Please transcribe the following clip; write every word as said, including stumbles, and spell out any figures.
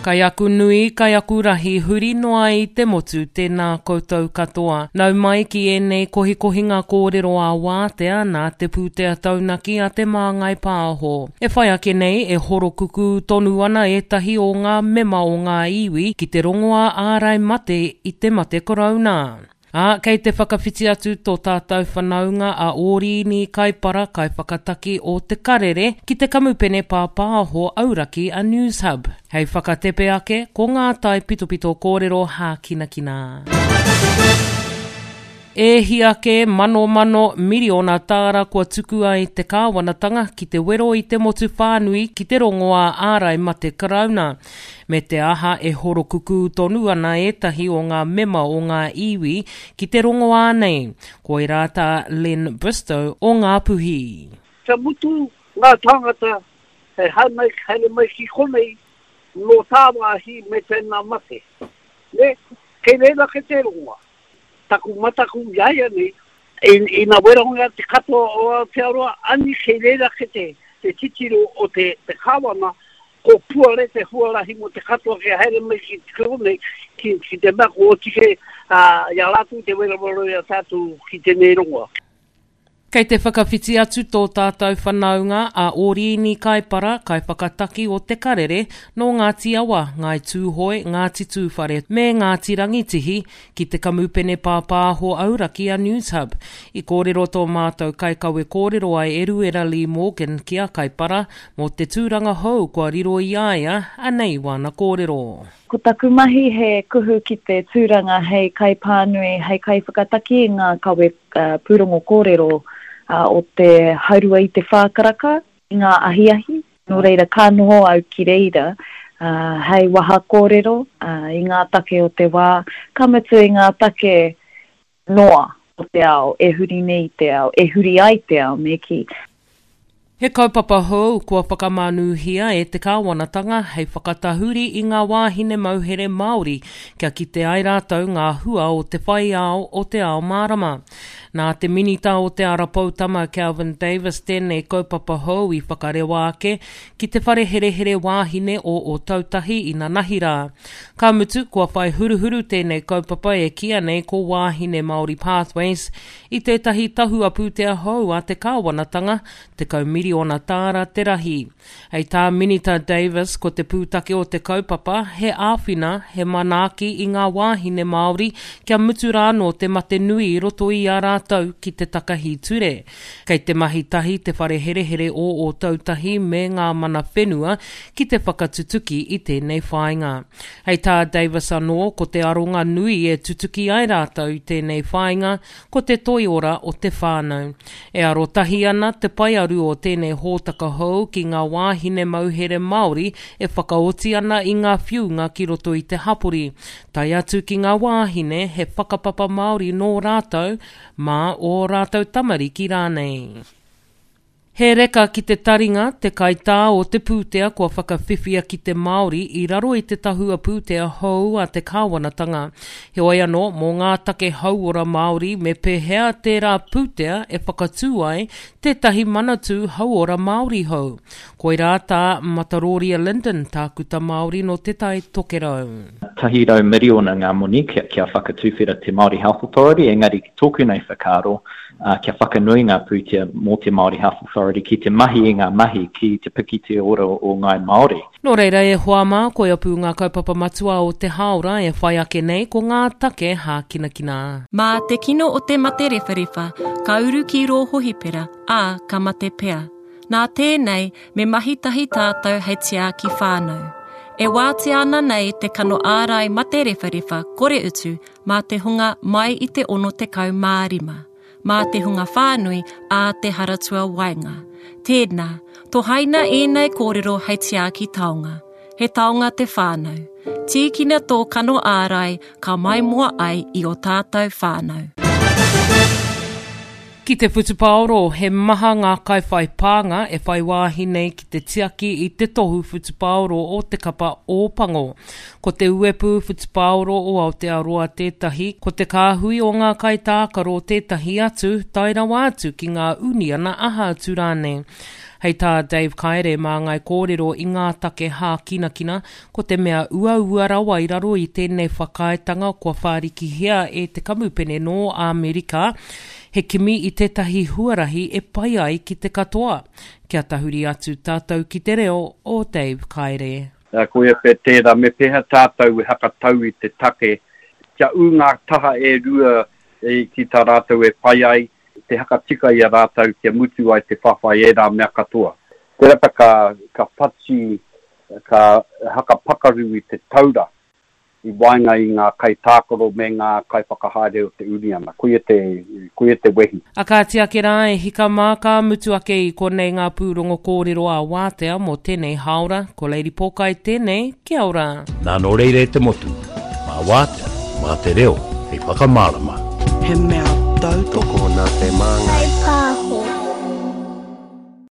Kai aku nui, kai aku rahi, huri noa i te motu, tēnā koutou katoa. Nau mai ki ēnei kohikohinga kōrero a wātea nā te pūtea taunaki a Te Māngai Pāho. E whai ake nei, e horokukū tonu ana ētahi o ngā mema o ngā iwi ki te rongoā ārai mate i te mate korouna. Ā, kei te whakawhiti atu tō tātou whanaunga a Ōrīni Kaipara kaiwhakataki o Te Karere ki te kamupene pāpāho auraki a Newshub. Hei whakatepe ake, ko ngā taipitopito kōrero hākinakina. E hia kē manomano miriona tāra kua tukua e te kāwanatanga ki te wero i te motu whānui ki te rongoā ārai mate karauna. Me te aha e horokukū tonu ana ētahi o ngā mema o ngā iwi ki te rongoā nei. Koirā tā Len Bristow o Ngāpuhi. Kia mutu ngā tāngata hei haere haere mai ki konei nō tāwāhi me tēnā mate. Nē, kei reira ake te rongoā. Taku mataku iāianei, ina werongia te katoa o Aotearoa, ani kei reira ake te, te titiro o te, te kāwana, ko puare te huarahi mō te katoa kia haere mai ki konei, ki, ki te mea ko oti kē i a rātou te werowero i a tātou ki tēnei rongoa. Kei te whakawhiti atu tō tātou whanaunga a Ōrīni Kaipara, kaiwhakataki o Te Karere, nō Ngāti Awa, Ngāi Tūhoe, Ngāti Tūwhare me Ngāti Rangitihi, ki te kamupene pāpāho auraki a Newshub. I kōrero tō mātou kaikawe kōrero a Eruera Lee Morgan ki a Kaipara mō te tūranga hou kua riro i a ia, anei wāna kōrero. Ko taku mahi he kuhu ki te tūranga hei kaipānui, hei kaiwhakataki i ngā kawe pūrongo kōrero o te haurua i te whā karaka i ngā ahiahi. Nō reira, ka noho au ki reira hei waha kōrero i ngā take o te wā, ka mutu i ngā take noa o te ao, e huri nei te ao, e huri ai te ao, me kī. He kaupapa hou kua whakamānūhia e te kāwanatanga hei whakatahuri i ngā wāhine mauhere Māori kia kite ai rātou ngā hua o te whai ao o te ao mārama. Nā te minita o Te Ara Poutama Kelvin Davis tēnei kaupapa hou i whakarewa ake ki te whare herehere wāhine o Ōtautahi inanahi rā. Ka mutu, kua whai huruhuru tēnei kaupapa e kīia nei ko Wāhine Māori Pathways i tētahi tahua pūtea hou a te kāwanatanga, tekau miriona tāra te rahi. Hei tā Minita Davis, ko te pūtake o te kaupapa, he āwhina, he manaaki i ngā wāhine Māori kia mutu rānō te mate nui i roto i a rātou ki te takahi ture. Kei te mahi tahi te whare herehere o Ōtautahi me ngā mana whenua ki te whakatutuki i tēnei whāinga. Hei tā Davis anō, ko te aronga nui e tutuki ai rātou i tēnei whāinga, ko te toiora o te whānau. E arotahi ana te paearu o tēnei hōtaka hou ki ngā wāhine mauhere Māori e whakaoti ana i ngā whiunga ki roto i te hapori, tae atu ki ngā wāhine he whakapapa Māori nō rātou, mā ō rātou tamariki rānei. He reka ki te taringa, te kaitā o te pūtea kua whakawhiwhia ki te Māori i raro i te tahua pūtea hou a te kāwanatanga. Heoi anō, mō ngā take hauora Māori me pēhea tērā pūtea e whakatū ai tētahi manatū hauora Māori hou. Koirā tā Mataroria Lyndon, tākuta Māori nō Te Tai Tokerau. Tahi rau miriona ngā moni kia, kia whakatuwhera te Māori Health Authority, engari ki tōku nei whakaaro, uh, kia whakanui ngā pūtea mō te Māori Health Authority ki te mahi i ngā mahi ki te piki te ora o Ngāi Māori. Nō reira e hoa mā, koia pū ngā kaupapa matua o te hāora e whai ake nei ko ngā take hākinakina. Mā te kino o te mate rewharewha, ka uru ki rō hohipera, ā, ka mate pea. Nā tēnei, me mahi tahi tātou hei tiaki whānau. E wātea ana nei te kano ārai mate rewharewha kore utu mā te hunga mai i te ono tekau mā rima, mā te hunga whānui ā te haratua waenga. Tēnā, tohaina ēnei kōrero hei tiaki taonga. He taonga te whānau. Tīkina tō kano ārai ka maimoa ai i o tātou whānau. Ki te whutupaoro, he maha ngā kaiwhai pānga e whai wāhi nei ki te tiaki i te tohu whutupaoro o te kapa Ōpango. Ko te uepu whutupaoro o Aotearoa tētahi, ko te kāhui o ngā kaitākaro tētahi atu, tae rawa atu ki ngā uniana aha atu rānei. Hei tā Dave Kaere māngai kōrero i ngā take hākinakina, ko te mea uaua rawa i raro i tēnei whakaaetanga kua whārikihia e te kamupene nō Amerika, he kimi i tētahi huarahi e pai ai ki te katoa. Kia tahuri atu tātou ki te reo o Dave Kaere. Koia pea tērā, me pēhea tātou e hakatau i te take, kia ū ngā taha e rua ki tā rātou e pai ai, te hakatika i a rātou kia mutu ai te whawhai ērā mea katoa. Tērā pea ka, ka whati, ka hakapakaru i te taura i waenga i ngā kaitākaro me ngā kaiwhakahaere o te uniana. Koia te, koia te wehi. A kāti ake rā e hika mā ka mutu ake i konei ngā pūrongo kōrero a Wātea mō tēnei hāora. Ko Lady Pōkai tēnei, kia ora. Nā nō reira e te motu, mā Wātea, mā te reo, hei whakamārama. He mea tautoko nā te māngai.